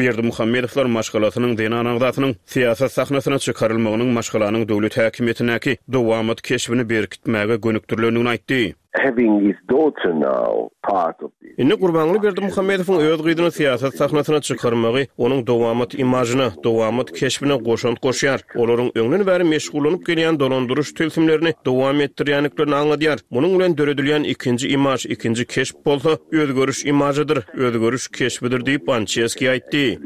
Berdimuhamedowlar maşgalasynyň zenan agzasynyň syýasat sahnasyna çykarylmagynyň maşgalanyň döwlet häkimiýetindäki dowamat keşbini berkitmäge gönükdirilendigini aýtdy. Having his daughter now part of this. Indi Gurbanguly Berdimuhamedowyň öz gyzyny syýasat sahnasyna çykarmagy onuň dowamat imažyna, dowamat keşbine goşant goşýar. Olaryň öňden bäri meşgullanyp gelýän dolandyryş tilsimlerini dowam etdirýändiklerini aňladýar. Munuň bilen döredilýän ikinji imaž, ikinji keşp bolsa özgeriş imažydyr, özgeriş keşbidir diýip, Ançeski aýtdy.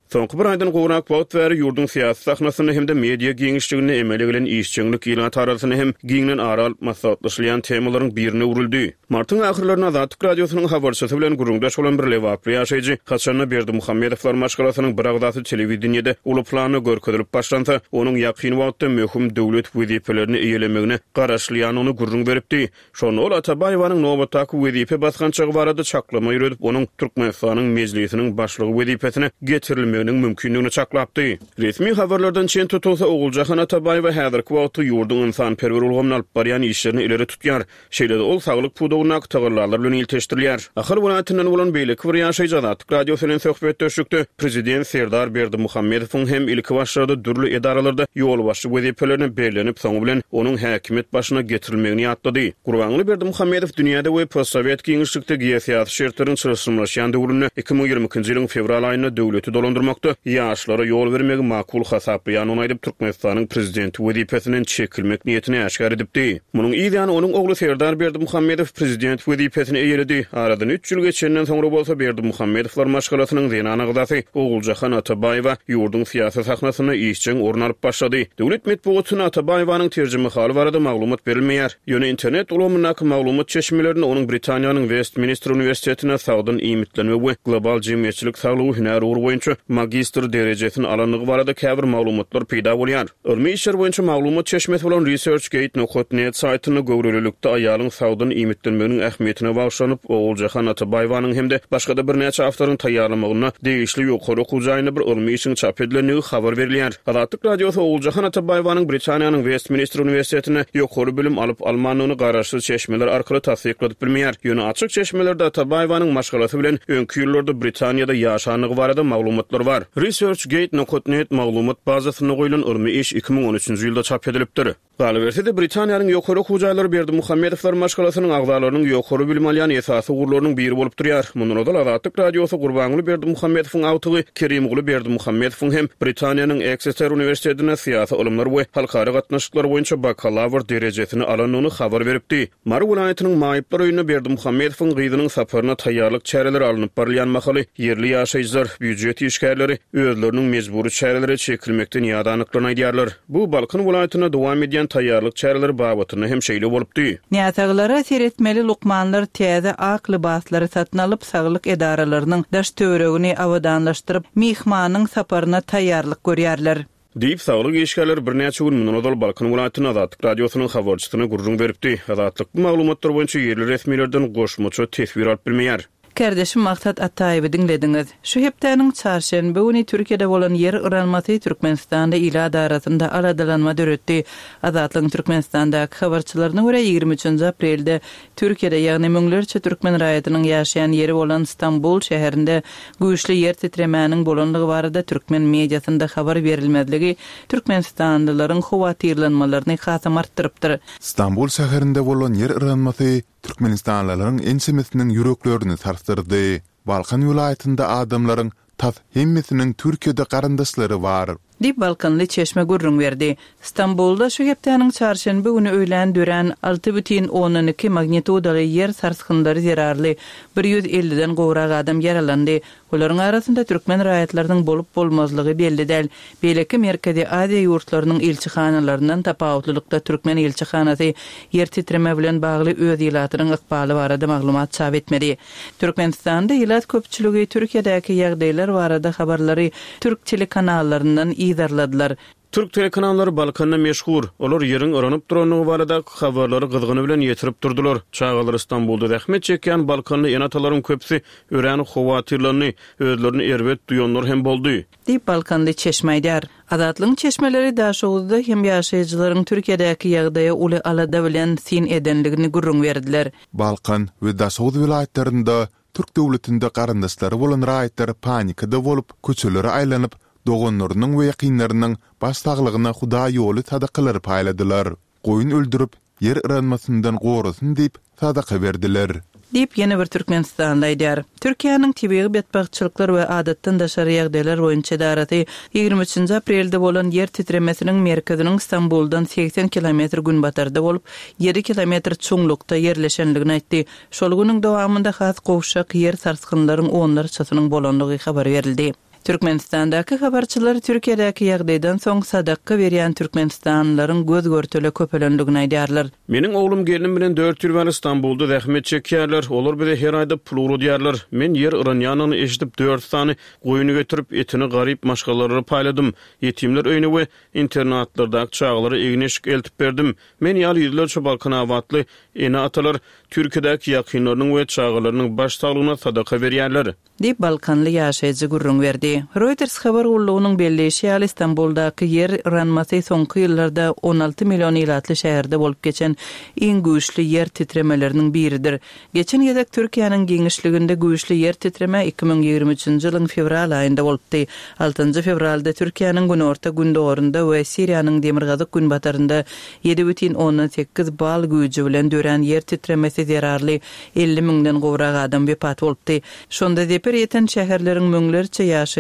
Soňky bir aýdan gowrak wagt bäri ýurduň syýasy sahnasynda hem-de media giňişliginde emele gelen işjeňlik ilat arasynda hem giňden ara alyp maslahatlaşylýan temalaryň birine öwrüldi. Martyň ahyrlarynda Azatlyk Radiosynyň habarçysy bilen gürrüňdeş bolan bir lebaply ýaşaýjy, haçan-da Berdimuhamedowlar maşgalasynyň bir agzasy telewideniýede uly planda görkezilip başlansa, onuň ýakyn wagtda möhüm döwlet wezipelerini eýelemegine garaşylýandygyny gürrüň beripdi. Şonda ol Atabaýewanyň nobatdaky wezipe basgançagy barada çaklama ýöredip, onuň Türkmenistanyň Mejlisiniň Başlygy wezipesine getirilmeginiň mümkindigini çaklapdy. Resmi habarlardan çen tutulsa, Oguljahan Atabaýewa häzirki wagtda ýurduň ynsanperwer ulgamynda alyp barýan işlerini ileri tutýar. Şeýle-de ol saglyk pudagyndaky tagallalar bilen ilteşdirilýär. Ahal welaýatyndan bolan beýleki bir ýaşaýjy Azatlyk Radiosy bilen söhbetdeşlikde prezident Serdar Berdimuhamedowyň hem ilkibaşlarda dürli edaralarda ýolbaşçy wezipelerine bellenip, soňy bilen onuň häkimiýet başyna getirilmegini ýatlady. Gurbanguly Berdimuhamedow dünýäde we postsowet giňişlikde geosyýasy şertleriň çylşyrymlaşýan döwründe 2022-nji ýylyň fewral aýynda döwleti dolandyrmakda ýaşlara ýol bermegi makul hasaplaýandygyny aýdyp, Türkmenistanyň prezidenti wezipesinden çekilmek niýetini äşgär edipdi. Munuň yz ýany onuň ogly Serdar Berdimuhamedow prezident wezipesini eýeledi. Aradan üç ýyl geçenden soňra bolsa Berdimuhamedowlar maşgalasynyň zenan agzasy Oguljahan Atabaýewa ýurduň syýasy sahnasynda işjeň orun alyp başlady. Döwlet metbugatynda Atabaýewanyň terjimehaly barada maglumat berilmeýär. Ýöne internet ulgamyndaky maglumat çeşmelerinde onuň Britaniýanyň Westminster uniwersitetinde sagdyn iýmitlenme we global jemgyýetçilik saglygy hünär ugry boýunça magistr derejesini alandygy barada käbir maglumatlar peýda bolýar. Ylmy işler boýunça maglumat çeşmesi bolan ResearchGate nokat net saýtynda göwrelilikde aýalyň sagdyn iýmitlenmeginiň ähmiýetine bagyşlanyp, Oguljahan Atabaýewanyň hem-de başga-da birnäçe awtoryň taýýarlamagynda degişli ýokary okuw jaýynda bir ylmy işiň çap edilendigi habar berilýär. Azatlyk Radiosy Oguljahan Atabaýewanyň Britaniýanyň Westminster uniwersitetinde ýokary bilim alyp-almandygyny garaşsyz çeşmeler arkaly tassykladyp bilmeýär. Ýöne açyk çeşmelerde Atabaýewanyň maşgalasy bilen öňki ýyllarda Britaniýada ýaşandygy barada maglumatlar bar. ResearchGate nokat net maglumat bazasynda goýlan ylmy iş 2013-nji ýylda çap edilipdir. Galyberse-de, Britaniýanyň ýokary okuw jaýlary Berdimuhamedowlar maşgalasynyň agzalarynyň ýokary bilim alýan esasy ugurlarynyň biri bolup durýar. Mundan ozal Azatlyk Radiosy Gurbanguly Berdimuhamedowyň agtygy Kerimguly Berdimuhamedowyň hem Britaniýanyň Ekseter uniwersitetinde syýasy ylymlar we halkara gatnaşyklar boýunça bakalawr derejesini alandygyny habar beripdi. Mary welaýatynyň maýyplar öýünde Berdimuhamedowyň gyzynyň saparyna taýýarlyk çäreleri alnyp barylýan mahaly, ýerli ýaşaýjylar, býujet işgärleri özleriniň mejbury çärelere çekilmekden ýadandyklaryny aýdýarlar. Bu Balkan welaýatynda dowam edýän taýýarlyk çäreleri babatynda hem şeýle bolupdy. Näsaglara seretmeli lukmanlar täze ak lybaslary satyn alyp, saglyk edaralarynyň daş-töweregini abadanlaşdyryp, myhmanyň saparyna taýýarlyk görýärler. Diýip, saglyk işgärleri birnäçe gün mundan ozal Balkan welaýatynda Azatlyk Radiosynyň habarçysyna gürrüň beripdi. Azatlyk bu maglumatlar boýunça ýerli resmilerden goşmaça teswir alyp bilmeýär. Kärdeşim Maksat Ataýewi diňlediňiz. Şu hepdäniň çarşenbe güni Türkiýede bolan ýer yranmasy Türkmenistanda ilat arasynda aladalanma döretdi. Azatlygyň Türkmenistandaky habarçylaryna görä, 23-nji aprelde Türkiýede, ýagny müňlerçe türkmen raýatynyň ýaşaýan ýeri bolan Stambul şäherinde güýçli ýer titremäniň bolandygy barada türkmen mediasynda habar berilmezligi türkmenistanlylaryň howatyrlanmalaryny hasam artdyrypdyr. Stambul şäherinde bolan ýer yranmasy türkmenistanlylaryň ençemesiniň ýüreklerini sarsdyrdy. Balkan welaýatynda adamlaryň tas hemmesiniň Türkiýede garyndaşlary bar. Diýip, balkanly çeşme gürrüň berdi. Stambulda şu hepdäniň çarşenbe güni öýlän dörän 6,2 magnitudaly ýer sarsgynlary zerarly bir ýüz elliden gowrak adam ýaralandy. Olaryň arasynda türkmen raýatlarynyň bolup-bolmazlygy belli däl. Beýleki Merkezi Aziýa ýurtlarynyň ilçihanalaryndan tapawutlylykda türkmen ilçihanasy ýer titreme bilen bagly öz ilatynyň ykbaly barada maglumat çap etmedi. Türkmenistanda ilat köpçüligi Türkiýedäki ýagdaýlar barada habarlary türk telekanallaryndan yzarladylar. Türk telekanallary Balkanda meşhur. Olar ýeriň yranyp durandygy baradaky habarlary gyzgyny bilen ýetirip durdular. Çagalary Stambulda zähmet çekýän balkanly ene-atalaryň köpüsi örän howatyrlandy, özlerini erbet duýanlar hem boldy. Diýip, balkanly çeşme aýdýar. Azatlygyň çeşmeleri Daşoguzda hem ýaşaýjylaryň Türkiýedäki ýagdaýa uly alada bilen syn edendigini gürrüň berdiler. Balkan we Daşoguz welaýatlarynda. Türk döwletinde garyndaşlary bolan raýatlar panikada bolup, köçelere aýlanyp, doganlarynyň we ýakynlarynyň baş saglygyna hudaýýoly sadakalary paýladylar. Goýun öldürip, ýer yranmasyndan gorasyn diýip, sadaka berdiler. Diýip, ýene bir türkmenistanly aýdýar. Türkiýäniň Tebigy betbagtçylyklar we adatdan daşary ýagdaýlar boýunça edarasy 23-nji aprelde bolan ýer titremesiniň merkeziniň Stambuldan 80 kilometr günbatarda bolup, ýedi kilometr çuňlukda ýerleşenligini aýtdy. Şol günüň dowamynda has gowşak ýer sarsgynlaryň onlarçasynyň bolandygy habar berildi. Türkmenistandaky habarçylar Türkiýedäki ýagdaýdan soň sadakga berýän türkmenistanlylaryň göz-görtele köpelendigini aýdýarlar. Meniň oglum gelnim bilen dört ýyl bäri Stambulda zähmet çekýärler. Olar bize her aýda pul ugradýarlar. Men ýer yranýanyny eşidip dört sany goýun getirip, etini garyp maşgalalara paýladym. Ýetimler öýüne we internatlardaky çagalara egin-eşik eltip berdim. Men ýaly ýüzlerçe balkanabatly ene-atalar Türkiýedäki ýakynlarynyň we çagalarynyň baş saglygyna sadaka berýärler. Diýip, balkanly ýaşaýjy gürrüň berdi. Reuters habar gullugynyň belleýşi ýaly, Stambuldaky ýer yranmasy soňky ýyllarda 16 million ilatly şäherde bolup geçen iň güýçli ýer titremeleriniň biridir. Geçen gezek Türkiýäniň giňişliginde güýçli ýer titreme 2023-nji ýylyň fewral aýynda bolupdy. Altynjy fewralda Türkiýäniň günorta-gündogarynda we Siriýanyň demirgazyk-günbatarynda 7,8 bal güýji bilen dörän ýer titremesi zerarly 50 müňden gowrak adam wepat bolupdy. Şonda zeper ýeten şäherleriň müňlerçe ýaşaýjysy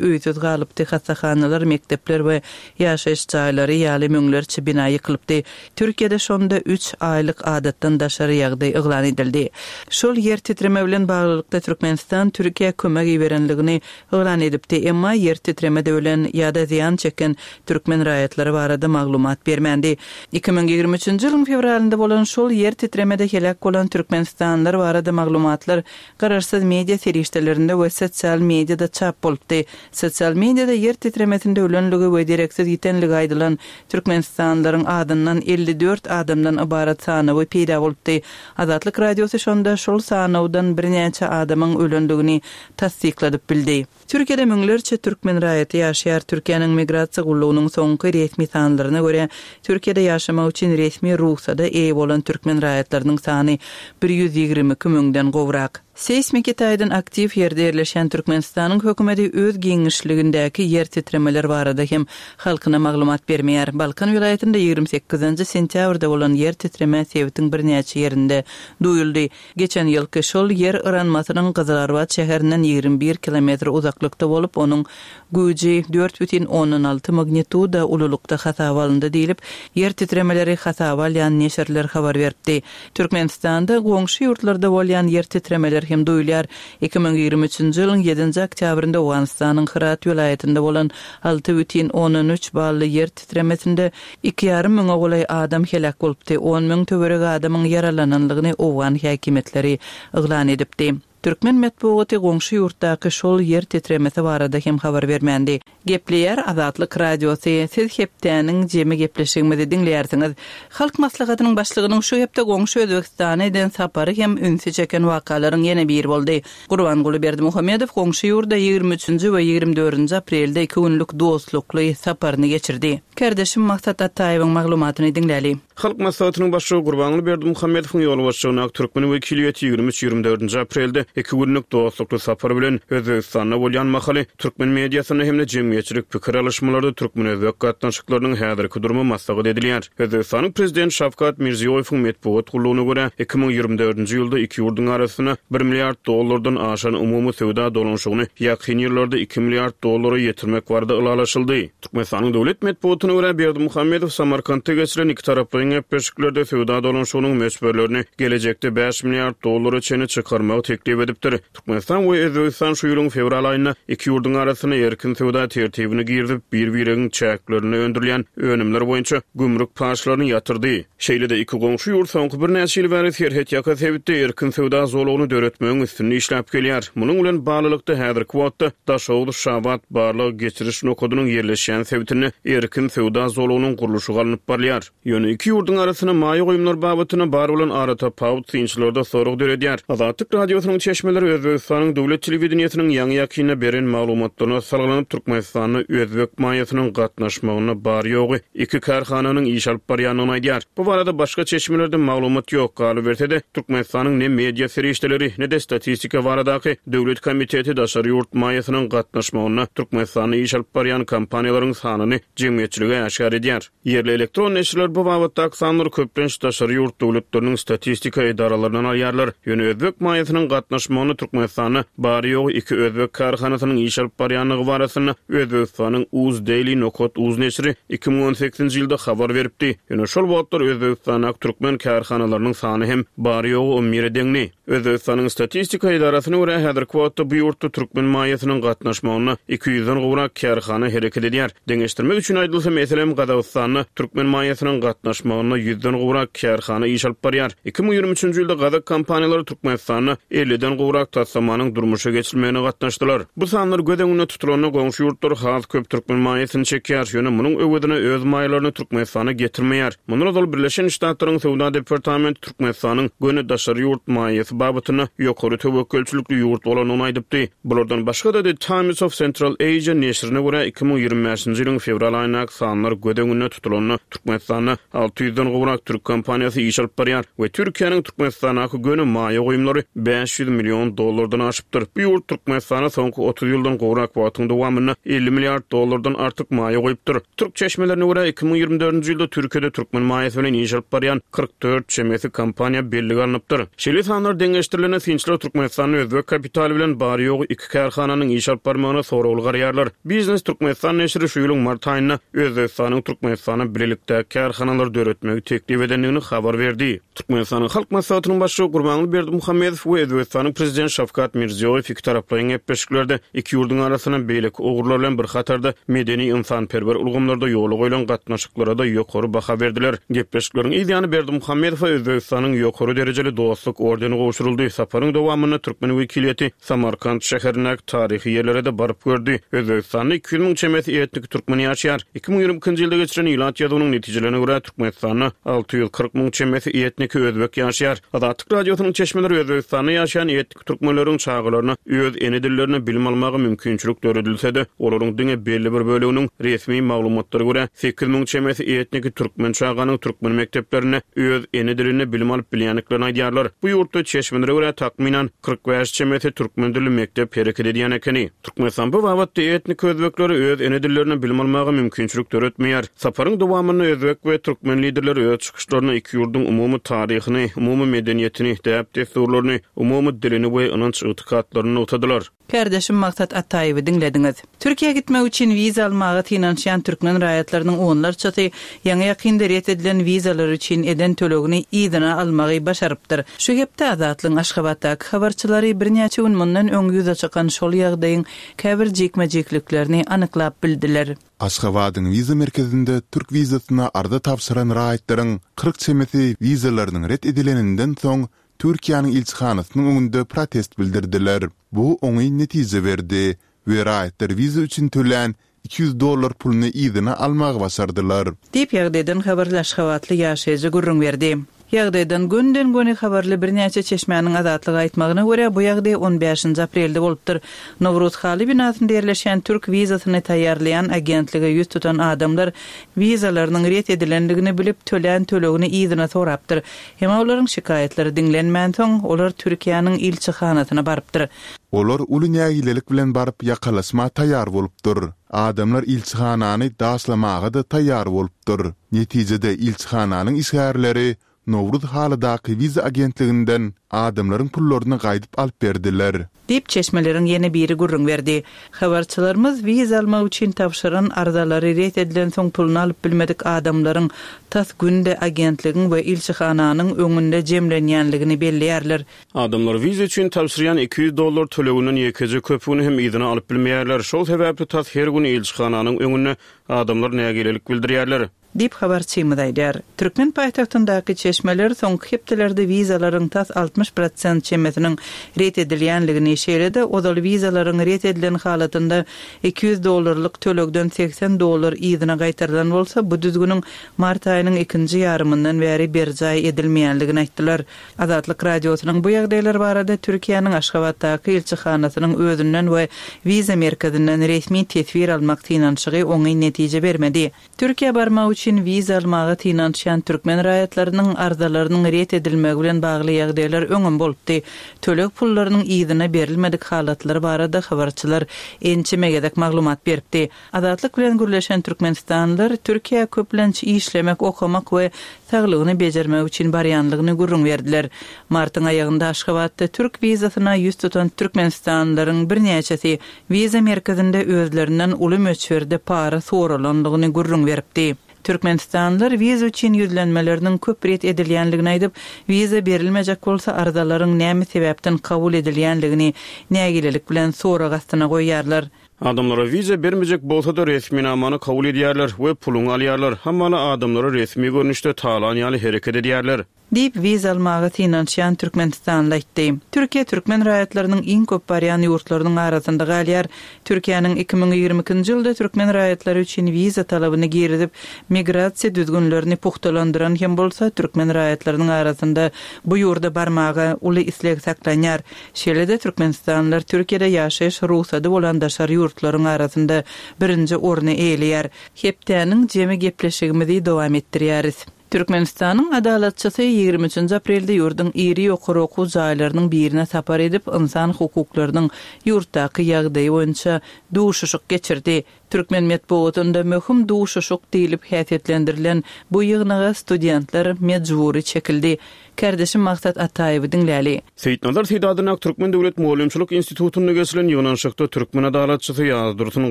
öýsüz galypdy, hassahanalar, mekdepler we ýaşaýyş jaýlary ýaly müňlerçe bina ýykylypdy. Türkiýede şonda üç aýlyk adatdan daşary ýagdaý yglan edildi. Şol ýer titreme bilen baglylykda Türkmenistan Türkiýä kömek iberenligini yglan edipdi, emma ýer titremede ölen ýa-da zyýan çeken türkmen raýatlary barada maglumat bermändi. 2023-nji ýylyň fewralynda bolan şol ýer titremede heläk bolan türkmenistanlylar barada maglumatlar garaşsyz media serişdelerinde we sosial mediada çap bolupdy. Sosial mediada ýer titremesinde ölenligi we dereksiz ýitenligi aýdylan türkmenistanlylaryň adyndan 54 adamdan ybarat sanawy peýda bolupdy. Azatlyk Radiosy şonda şol sanawdan birnäçe adamyň ölendigini tassykladyp bildi. Türkiýede müňlerçe türkmen raýaty ýaşaýar. Türkiýäniň Migrasiýa gullugynyň soňky resmi sanlaryna görä, Türkiýede ýaşamak üçin resmi rugsada eýe bolan türkmen raýatlarynyň sany 122 müňden gowrak. Seýsmiki taýdan aktiw ýerde ýerleşýän Türkmenistanyň hökümeti öz giňişligindäki ýer titremeler barada hem halkyna maglumat bermeýär. Balkan welaýatynda 28-nji sentýabrda bolan ýer titreme sebitiň birnäçe ýerinde duýuldy. Geçen ýylky şol ýer yranmasynyň Gyzylarbat şäherinden 21 kilometr uzaklykda bolup, onuň güýji 4,6 magnituda ululykda hasaba alyndy diýlip, ýer titremeleri hasaba alýan neşirler habar beripdi. Türkmenistanda goňşy ýurtlarda bolýan ýer titremeler hem duýulýar. 2023-nji ýylyň ýedinji oktýabrynda Owganystanyň Hyrat welaýatynda bolan 6,3 bally ýer titremesinde Iki ýarym müňe golaý adam heläk bolupdy, on müň töweregi adamyň ýaralananlygyny owgan häkimiýetleri yglan edipdi. Türkmen metbugaty goňşy ýurtdaky şol ýer titremesi barada hem habar bermändi. Gepleýär Azatlyk Radiosy, Siz hepdäniň jemi gepleşigimizi diňleýärsiňiz. Halk Maslahatynyň Başlygynyň şu hepde goňşy Özbegistana eden sapary hem ünsi çeken wakalaryň ýene biri boldy. Gurbanguly Berdimuhamedow goňşy ýurda 23-nji we 24-nji aprelde iki günlük dostlukly saparyny geçirdi. Kärdeşim Maksat Ataýewiň maglumatyny diňläli. Halk Maslahatynyň Başlygy Gurbanguly Berdimuhamedowyň ýolbaşçylygyndaky türkmen wekiliýeti 23, 24-nji aprelde iki günlük dostlukly sapar bilen Özbegistanda bolýan mahaly türkmen mediasynda hem-de jemgyýetçilik pikir alyşmalarda türkmen-özbek gatnaşyklarynyň häzirki durumy maslahat edilýär. Özbegistanyň Prezidenti Şawkat Mirziýoýewiň metbugat gullugyna görä, 2024-nji ýylda iki ýurduň arasynda bir milliard dollardan aşan umumy söwda dolanyşygyny ýakyn ýyllarda iki milliard dollara ýetirmek barada ylalaşyldy. Türkmenistanyň döwlet metbugatyna görä, Berdimuhamedow Samarkantda geçirilen ikitaraplaýyn gepleşiklerde söwda dolanyşygynyň möçberlerini gelejekde bäş milliard dollara çenli çykarmagy teklip edipdir. Türkmenistan we Özbegistan şu ýylyň fewral aýynda iki ýurduň arasynda erkin söwda tertibini girizip, bir-biregiň çäklerinde öndürilýän önümler boýunça gümrük paçlaryny ýatyrdy. Şeýle-de, iki goňşy ýurt soňky birnäçe ýyl bäri serhetýaka sebitde erkin söwda zolagyny döretmegiň üstünde işläp gelýär. Munuň bilen baglylykda, häzirki wagtda Daşoguz-Şabat barlag-geçiriş nokadynyň ýerleşýän sebitinde erkin söwda zolagynyň gurluşygy alnyp barylýar. Ýöne iki ýurduň arasynda maýa goýumlar babatynda bar bolan aratapawut synçylarda sorag döredýär. Azatlyk Radiosynyň. çeşmeleri Özbegistanyň döwlet telewideniýesiniň ýaňy-ýakynda beren maglumatlaryna salgylanyp, Türkmenistanda özbek maýasynyň gatnaşmagynda bary-ýogy iki kärhananyň iş alyp barýandygyny aýdýar. Bu barada başga çeşmelerde maglumat ýok. Galyberse-de, Türkmenistanyň ne media serişdeleri, ne-de Statistika baradaky döwlet komiteti daşary ýurt maýasynyň gatnaşmagynda Türkmenistanda iş alyp barýan kompaniýalaryň sanyny jemgyýetçilige äşgär edýär. Ýerli elektron neşirler bu babatdaky sanlary köplenç daşary ýurt döwletleriniň statistika edaralaryndan alýarlar. Ýöne özbek maýasynyň gatnaşmagynda Türkmenistanda bary-ýogy iki özbek kärhanasynyň iş alyp barýandygy barasynda Özbegistanyň Uzdaily nokat uz neşiri 2018-nji ýylda habar beripdi. Ýöne şol wagtlar Özbegistandaky türkmen kärhanalarynyň sany hem bary-ýogy on bire deňdi. Özbegistanyň statistika edarasyna görä, häzirki wagtda bu ýurtda türkmen maýasynyň gatnaşmagynda iki ýüzden gowrak kärhana hereket edýär. Deňeşdirmek üçin aýdylsa, meselem, Gazagystanda türkmen maýasynyň gatnaşmagynda ýüzden gowrak kärhana iş alyp barýar. 2023-nji ýylda gazak kompaniýalary Türkmenistanda elliden gowrak taslamanyň durmuşa geçirilmegine gatnaşdylar. Bu sanlar göz öňünde tutulanda, goňşy ýurtlar has köp türkmen maýasyny çekýär, ýöne munuň öwezine öz maýalaryny Türkmenistana getirmeýär. Mundan ozal Birleşen Ştatlaryň Söwda departamenti Türkmenistanyň göni daşary ýurt maýasy babatynda ýokary töwekgelçilikli ýurt bolandygyny aýdypdy. Bulardan başga-da, The Times of Central Asia neşirine görä, 2025-nji ýylyň fewral aýyndaky sanlar göz öňünde tutulanda, Türkmenistanda 600-den gowrak türk kompaniýasy iş alyp barýar we Türkiýäniň Türkmenistandaky göni maýa goýumlary 500 million dollardan aşypdyr. Bu ýurt Türkmenistana soňky 30 ýyldan gowrak wagtyň dowamynda 50 milliard dollardan artyk maýa goýupdyr. Türk çeşmelerine görä, 2024-nji ýylda Türkiýede türkmen maýasy bilen iş alyp barýan 44 çemesi kompaniýa bellige alnypdyr. Şeýle sanlar deňeşdirilende, synçylar Türkmenistanda özbek kapitaly bilen bary-ýogy iki kärhananyň iş alyp barmagyna soragly garaýarlar. Biznes Türkmenistan neşiri şu ýylyň mart aýynda Özbegistanyň Türkmenistana bilelikdäki kärhanalary döretmegi teklip edendigini habar berdi. Türkmenistanyň Halk Maslahatynyň Başlygy Gurbanguly Berdimuhamedow we Özbegistanyň Prezidenti Şawkat Mirziýoýew ikitaraplaýyn gepleşiklerde iki ýurduň arasynda beýleki ugurlar bilen bir hatarda medeni-ynsanperwer ulgamlarda ýola goýlan gatnaşyklara-da ýokary baha berdiler. Gepleşikleriň yz ýany Berdimuhamedowa Özbegistanyň ýokary derejeli Dostluk ordeni gowşuryldy. Saparyň dowamynda türkmen wekiliýeti Samarkant şäherindäki taryhy ýerlere-de baryp gördi. Özbegistanda 200 müň çemesi etniki türkmen ýaşaýar. 2022-nji ýylda geçirilen ilat ýazuwynyň netijelerine görä, Türkmenistanda 640 müň çemesi etniki özbek ýaşaýar. Azatlyk Radiosynyň çeşmeleri Özbegistanda ýaşaýan etniki türkmenleriň çagalaryna öz ene dillerinde bilim almaga mümkinçilik döredilse-de, olaryň diňe belli bir böleginiň, resmi maglumatlara görä, 8000 çemesi etniki türkmen çaganyň türkmen mekdeplerinde öz ene dilinde bilim alyp bilýändiklerini aýdýarlar. Bu ýurtda çeşmelere görä, takmynan, 45 çemesi türkmen dilli mekdep hereket edýän ekeni. Türkmenistan bu babatda etnik özbeklere öz ene dillerinde bilim almaga mümkinçilik döretmeýär. Saparyň dowamynda özbek we türkmen liderleri öz çykyşlarynda iki ýurduň umumy taryhyny, umumy medeniýetini, däp-dessurlaryny, umumy dilini we ynanç-ygtykatlaryny nygtadylar. Kärdeşim Maksat Ataýewi diňlediňiz. Türkiýä gitmek üçin wiza almaga synanyşýan türkmen raýatlarynyň onlarçasy ýaňy-ýakynda ret edilen wizalary üçin eden tölegini yzyna almagy başarypdyr. Şu hepde Azatlygyň Aşgabatdaky habarçylary birnäçe gün mundan öň ýüze çykan şol ýagdaýyň käbir jikme-jikliklerini anyklap bildiler. Aşgabadyň wiza merkezinde türk wizasyna arza tabşyran raýatlaryň 40 çemesi wizalarynyň ret edileninden soň Türkiýäniň ilçihanasynyň öňünde protest bildirdiler. Bu oňyn netije berdi we raýatlar wiza üçin tölän 200 dollar puluny yzyna almagy başardylar. Diýip, ýagdaýdan habarly aşgabatly ýaşaýjy gürrüň berdi. Ýagdaýdan gönden-göni habarly birnäçe çeşmäniň Azatlyga aýtmagyna görä, bu ýagdaý on bäşinji aprelde bolupdyr. Nowruz haly binasynda ýerleşýän türk wizasyny taýýarlaýan agentlige ýüz tutan adamlar wizalarynyň ret edilendigini bilip, tölän tölegini yzyna sorapdyr. Emma olaryň şikaýatlary diňlenmänsoň, olar Türkiýäniň ilçihanasyna barypdyr. Olar uly nägilelik bilen baryp ýakalaşma taýýar bolupdyr. Adamlar ilçihanany daşlamaga-da taýýar bolupdyr. Netijede ilçihananyň işgärleri Nowruz halydaky wiza agentliginden adamlaryň pullaryny gaýdyp alyp berdiler. Diýip, çeşmeleriň ýene biri gürrüň berdi. Habarçylarymyz wiza almak üçin tabşyran arzalary ret edilensoň puluny alyp bilmedik adamlaryň tas günde agentligiň we ilçihananyň öňünde jemlenýänligini belleýärler. Adamlar wiza üçin tabşyrýan 200 dollar töleginden ýekeje köpügini hem yzyna alyp bilmeýärler. Şol sebäpli tas her gün ilçihananyň öňünde adamlar nägilelik bildirýärler. Diýip, habarçymyz aýdýar. Türkmen paýtagtyndaky çeşmeler soňky hepdelerde wizalaryň tas 60 prosent çemesiniň ret edilýänligini, şeýle-de ozal wizalaryň ret edilen halatynda 200 dollarlyk tölegden 80 dollar yzyna gaýtarylan bolsa, bu düzgüniň mart aýynyň ikinji ýarymyndan bäri berjaý edilmeýänligini aýtdylar. Azatlyk Radiosynyň bu ýagdaýlar barada Türkiýäniň Aşgabatdaky ilçihanasynyň özünden we wiza merkezinden resmi teswir almak synanyşygy oňyn netije bermedi. Türkiýä barmak üçin wiza almaga synanyşýan türkmen raýatlarynyň arzalarynyň ret edilmegi bilen bagly ýagdaýlar öňem bolupdy. Töleg pullarynyň yzyna berilmedik halatlary barada habarçylar ençeme gezek maglumat beripdi. Azatlyk bilen gürleşen türkmenistanlylar Türkiýä köplenç işlemek, okamak we saglygyny bejermek üçin barýanlygyny gürrüň berdiler. Martyň aýagynda Aşgabatda türk wizasyna ýüz tutan türkmenistanlylaryň birnäçesi Wiza merkezinde özlerinden uly möçberde para soralandygyny gürrüň beripdi. Türkmenistanlylar wiza üçin ýüzlenmeleriniň köp ret edilýänligini aýdyp, wiza berilmejek bolsa arzalaryň näme sebäpden kabul edilýänligini nägilelik bilen sorag astyna goýýarlar. Adamlara wiza bermejek bolsa-da resminamany kabul edýärler we puluňy alýarlar. Hamala adamlary resmi görnüşde talan ýaly hereket edýärler. Diýip, wiza almaga synanyşýan türkmenistanly aýtdy. Türkiýe türkmen raýatlarynyň iň köp barýan ýurtlarynyň arasynda galýar. Türkiýäniň 2022-nji ýylda türkmen raýatlary üçin wiza talabyny girizip, migrasiýa düzgünlerini pugtalandyran hem bolsa, türkmen raýatlarynyň arasynda bu ýurda barmaga uly isleg saklanýar. Şeýle-de türkmenistanlylar Türkiýede ýaşaýyş rugsady bolan daşary ýurtlaryň arasynda birinji orny eýeleýär. Hepdäniň jemi gepleşigimizi dowam etdirýäris. Türkmenistanyň Adalatçysy 23 üçünji aprelde ýurduň iri ýokary okuw jaýlarynyň birine sapar edip, ynsan hukuklarynyň ýurtdaky ýagdaýy boýunça duşuşyk geçirdi. Türkmen metbugatynda möhüm duşuşyk diýlip häsiýetlendirilen bu ýygnaga studentler mejbury çekildi. Kärdeşim Maksat Ataýewi diňläli. Seýitnazar Seýit adyndaky Türkmen döwlet mugallymçylyk institutynda geçirilen ýygnanyşykda türkmen adalatçysy Ýazdursun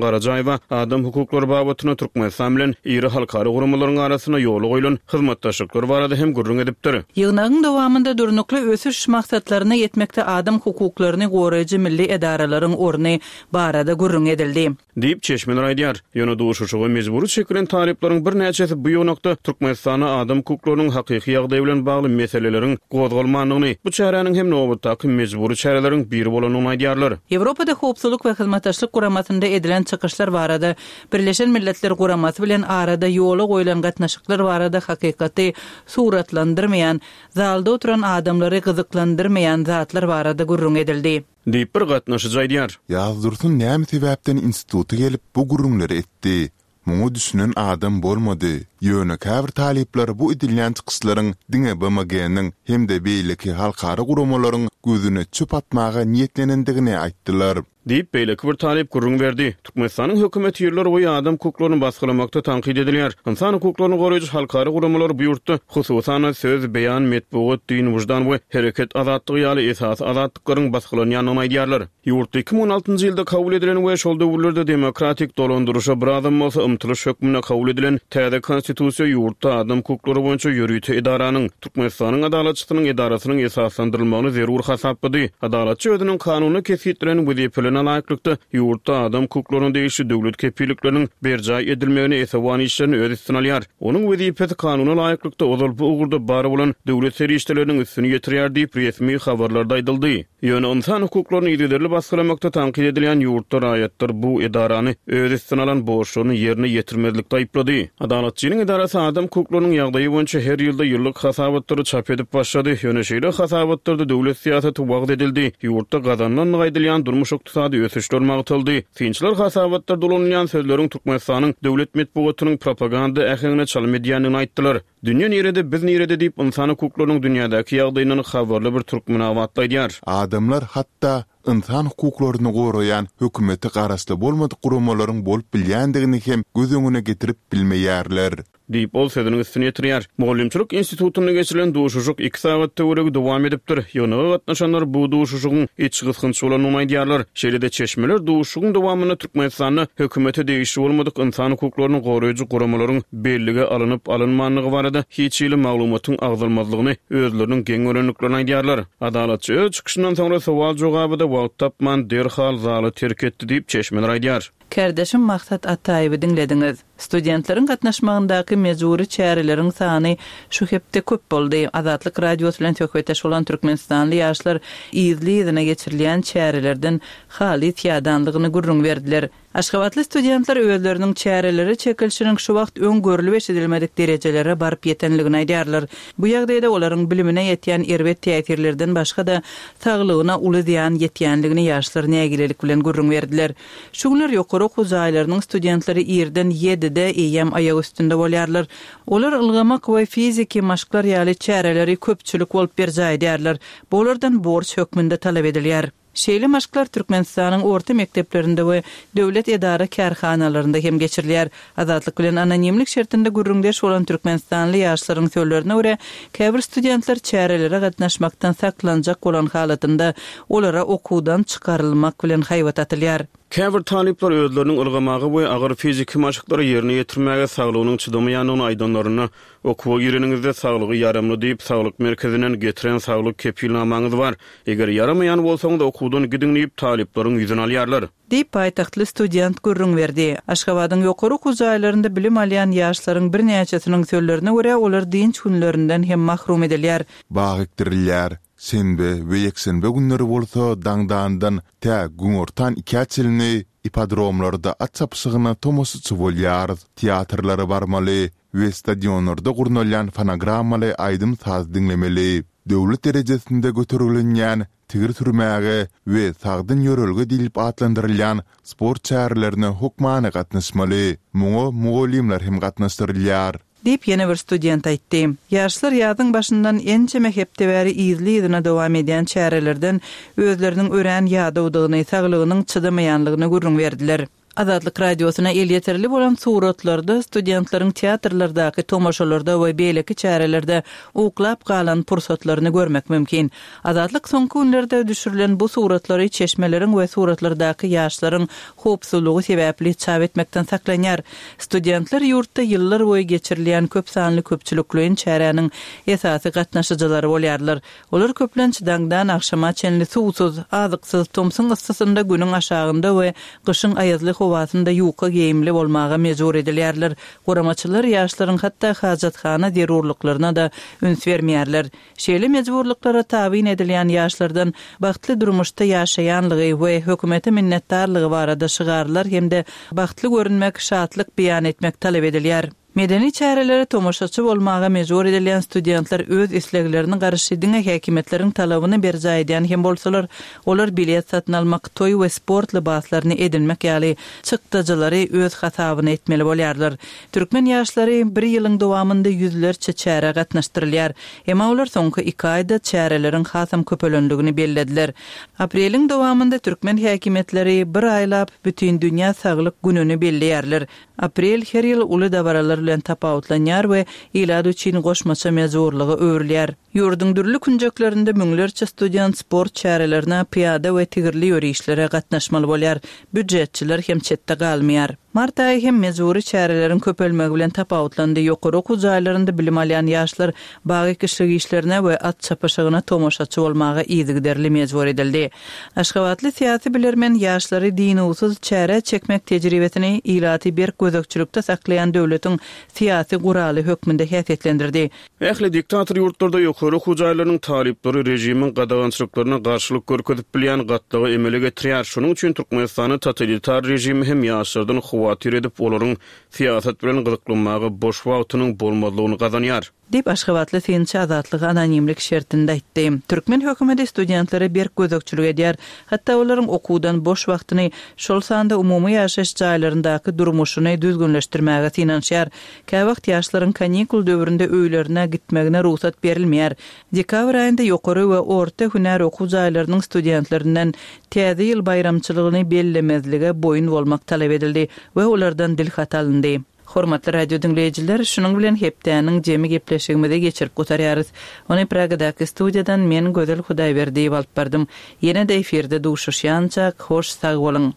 Garajaýewa adam hukuklary babatynda Türkmenistan bilen iri halkara guramalaryň arasynda ýola goýlan hyzmatdaşlyklar barada hem gürrüň edipdir. Ýygnagyň dowamynda Durnukly ösüş maksatlaryna ýetmekde adam hukuklaryny goraýjy milli edaralaryň orny barada gürrüň edildi. Diýip, çeşmeler aýdýar. Ýöne duşuşyga mejbury çekilen talyplaryň birnäçesi bu ýygnakda Türkmenistanda adam hukuklarynyň hakyky ýagdaýy bilen bagly meseleleriň gozgalmandygyny, bu çäräniň hem nobatdaky mejbury çäreleriň biri bolandygyny aýdýarlar. Ýewropada Howpsuzlyk we Hyzmatdaşlyk Guramasynda edilen çykyşlar barada, Birleşen Milletler Guramasy bilen arada ýola goýlan gatnaşyklar barada hakykaty suratlandyrmaýan, zalda oturan adamlary gyzyklandyrmaýan zatlar barada gürrüň edildi. Diýip, bir gatnaşyjy aýdýar. Ýazdursun näme sebäpden instituta gelip bu gürrüňleri etdi? Muňa düşünen adam bolmady. Ýöne käbir talyplar bu edilýän çykyşlaryň diňe BMG-niň hem-de beýleki halkara guramalaryň gözüne çöp atmaga niýetlenendigini aýtdylar. Diýip, beýleki bir talyp gürrüň berdi. Türkmenistanyň hökümeti ýyllar boýy adam hukuklaryny basgylamakda tankyt edilýär. Ynsan hukuklaryny goraýjy halkara guramalar bu ýurtda, hususan-da, söz, beýan, metbugat, din, wyždan we hereket azatlygy ýaly esasy azatlyklaryň basgylanýandygyny aýdýarlar. Ýurtda 2016-njy ýylda kabul edilen we şol döwürlerde demokratik dolandyryşa birazam bolsa ymtylyş hökmünde kabul edilen täze Konstitusiýa ýurtda adam hukuklary boýunça ýörite edaranyň, Türkmenistanyň Adalatçysynyň edarasynyň esaslandyrylmagyny zerur hasaplady. Adalatçy özüniň kanunda kesgitlenen wezipelerine laýyklykda, ýurtda adam hukuklaryna degişli döwlet kepillikleriniň berjaý edilmegine esewan işlerini öz üstüne alýar. Onuň wezipesi kanuna laýyklykda ozal bu ugurda bar bolan döwlet serişdeleriniň üstüni ýetirýär diýip, resmi habarlarda aýdyldy. Ýöne ynsan hukuklaryny yzygiderli basgylamakda tankyt edilýän ýurtda raýatlar bu edarany öz üstüne alan borçlaryny ýerine ýetirmezlikde aýyplady. Adalatçynyň edarasy adam hukuklarynyň ýagdaýy boýunça her ýylda ýyllyk hasabatlary çap edip başlady. Ýöne şeýle hasabatlarda döwlet syýasaty wagyz edildi, ýurtda gazanylandygy aýdylýan durmuş-ykdysady ösüşler magtaldy. Synçylar hasabatlarda ulanylýan sözleriň Türkmenistanyň döwlet metbugatynyň propaganda äheňine çalym edýändigini aýtdylar. Dünýe nirede, biz nirede diýip, ynsan hukuklarynyň dünýädäki ýagdaýyndan habarly bir türkmenabatly aýdýar. Adamlar hatda ynsan hukuklaryny goraýan hökümete garaşly bolmadyk guramalaryň bolup bilýändigini hem göz öňüne getirip bilmeýärler. Diýip, ol sözüniň üstüni ýetirýär. Mugallymçylyk institutynda geçirilen duşuşyk iki sagat töweregi dowam edipdir. Ýygnaga gatnaşanlar bu duşuşygyň içgysgynç bolandygyny aýdýarlar. Şeýle-de çeşmeler duşuşygyň dowamynda Türkmenistanda hökümete degişli bolmadyk ynsan hukuklaryny goraýjy guramalaryň bellige alnyp-alynmandygy barada hiç hili maglumatyň agzalmazlygyny özleriniň geň görendiklerini aýdýarlar. Adalatçy öz çykyşyndan soňra sowal-jogaba-da wagt tapman, derhal zaly terk etdi diýip, çeşmeler aýdýar. Kärdeşim Maksat Ataýewi diňlediňiz. Studentleriň gatnaşmagyndaky mejbury çäreleriň sany şu hepde köp boldy. Azatlyk Radiosy bilen söhbetdeş bolan türkmenistanly ýaşlar yzly-yzyna geçirilýän çärelerden halys ýadanlygyny gürrüň berdiler. Aşgabatly studentler özleriniň çärelere çekilişiniň şu wagt öň görlüp-eşidilmedik derejelere baryp ýetenligini aýdýarlar. Bu ýagdaýda olaryň bilimine ýetýän erbet täsirlerden başga-da, saglygyna uly zyýan ýetýänligini ýaşlar nägilelik bilen gürrüň berdiler. Şu günler ýokary okuw jaýlarynyň studentleri irden ýedide eýýäm aýak üstünde bolýarlar. Olar ylgamak we fiziki maşklar ýaly çäreleri köpçülik bolup berjaý edýärler. Bu olardan borç hökmünde talap edilýär. Şeýle maşklar Türkmenistanyň orta mekdeplerinde we döwlet edara-kärhanalarynda hem geçirilýär. Azatlyk bilen anonimlik şertinde gürrüňdeş bolan türkmenistanly ýaşlaryň sözlerine görä, käbir studentler çärelere gatnaşmakdan saklanjak bolan halatynda, olara okuwdan çykarylmak bilen haýbat atylýar. Käbir talyplar özleriniň ylgamaga we agyr fiziki maşklary ýerine ýetirmäge saglygynyň çydamaýandygyny aýdanlarynda, okuwa gireniňizde saglygy ýaramly diýip, saglyk merkezinden getiren saglyk kepilnamaňyz bar. Eger ýaramaýan bolsaňyz, okuwdan gidiň diýip, talyplaryň ýüzüni alýarlar. Diýip, paýtagtly student gürrüň berdi. Aşgabadyň ýokary okuw jaýlarynda bilim alýan ýaşlaryň birnäçesiniň sözlerine görä, olar dynç günlerinden hem mahrum edilýär. Bag ekdirilýär. Şenbe we ýekşenbe günleri bolsa daňdandan tä günortan ikä çenli ipodromlarda at çapyşygyna tomaşaçy bolýarys, teatrlara barmaly we stadionlarda gurnalýan fonogrammaly aýdym-saz diňlemeli. Döwlet derejesinde götergilenýän tigir sürmäge we sagdyn ýörelge diýlip atlandyrylýan sport çärelerine hökmany gatnaşmaly. Muňa mugallymlar hem gatnaşdyrylýar. Diýip, ýene bir student aýtdy. Ýaşlar ýazyň başyndan ençeme hepde bäri yzly-yzyna dowam edýän çärelerden özleriniň örän ýadawdygyny, saglygynyň çydamaýanlygyny gürrüň berdiler. Azatlyk Radiosyna elýeterli bolan suratlarda studentleriň teatrlardaky tomaşalarda we beýleki çärelerde uklap galan pursatlaryny görmek mümkin. Azatlyk soňky günlerde düşürilen bu suratlary çeşmeleriň we suratlardaky ýaşlaryň howpsuzlygy sebäpli çap etmekden saklanýar. Studentler ýurtda ýyllar boýy geçirilýän köp sanly köpçülikleýin çäräniň esasy gatnaşyjylary bolýarlar. Olar köplenç daňdan agşama çenli suwsuz, azyksyz, tomsuň yssysynda günüň aşagynda we gyşyň aýazly howasynda ýuka geýimli bolmaga mejbur edilýärler. Guramaçylar ýaşlaryň hatda hajathana zerurlyklaryna-da üns bermeýärler. Şeýle mejburlyklara tabyn edilýän ýaşlardan bagtly durmuşda ýaşaýanlygy we hökümete minnetdarlygy barada şygarlar hem-de bagtly görünmek, şatlyk beýan etmek talap edilýär. Medeni çärelere tomaşaçy bolmaga mejbur edilýän studentler öz isleglerini garşy diňe häkimiýetleriň talabyny berjaý edýän hem bolsalar, olar bilet satyn almak, toý we sport lybaslaryny edinmek ýaly çykdajylary öz hasabyna etmeli bolýarlar. Türkmen ýaşlary bir ýylyň dowamynda ýüzlerçe çärä gatnaşdyrylýar. Emma olar soňky iki aýda çäreleriň hasam köpelendigini bellediler. Apreliň dowamynda türkmen häkimiýetleri bir aýlap Bütindünýä saglyk gününi belleýärler. Aprel her ýyl uly dabaralar bilen tapawutlanýar we ilat üçin goşmaça mejburlyga öwrülýär. Ýurduň dürli künjeklerinde müňlerçe student sport çärelerine, pyýada we tigirli ýörişlere gatnaşmaly bolýar. Býujetçiler hem çetde galmaýar. Mart aýy hem mejbury çäreleriň köpelmegi bilen tapawutlandy. Ýokary okuw jaýlarynda bilim alýan ýaşlar bag ekişlik işlerine we at çapyşygyna tomaşaçy bolmaga yzygiderli mejbur edildi. Aşgabatly syýasy bilermen ýaşlary dynuwsyz çärä çekmek tejribesini ilaty berk gözegçilikde saklaýan döwletiň syýasy guraly hökmünde häsiýetlendirdi. Ähli diktator ýurtlarda ýokary okuw jaýlarynyň talyplary režimiň gadagançylyklaryna garşylyk görkezip bilýän gatlagy emele getirýär. Şonuň üçin Türkmenistanda totalitar režimi hem ýaşlardan howatyr edip, olaryň syýasat bilen gyzyklanmaga boş wagtynyň bolmazlygyny gazanýar. Diýip, aşgabatly synçy Azatlyga anonimlik şertinde aýtdy. Türkmen hökümeti studentlere berk gözegçilik edýär. Hatda olaryň okuwdan boş wagtyny, şol sanda umumy ýaşaýyş jaýlaryndaky durmuşyny düzgünleşdirmäge synanyşýar. Käwagt ýaşlaryň kanikul döwründe öýlerine gitmegine rugsat berilmeýär. Dekabr aýynda ýokary we orta hünär okuw jaýlarynyň studentlerinden Täze ýyl baýramçylygyny bellemezlige boýun bolmak talap edildi we olardan dilhat alyndy. Hormatly radio diňleýjiler, şunuň bilen hepdäniň jemi gepleşigimizi geçirip gutarýarys. Ony Pragadaky studiýadan men Gözel Hudaýberdiýewa alyp bardym. Ýene-de efirde duşuşýançak, hoş sag boluň!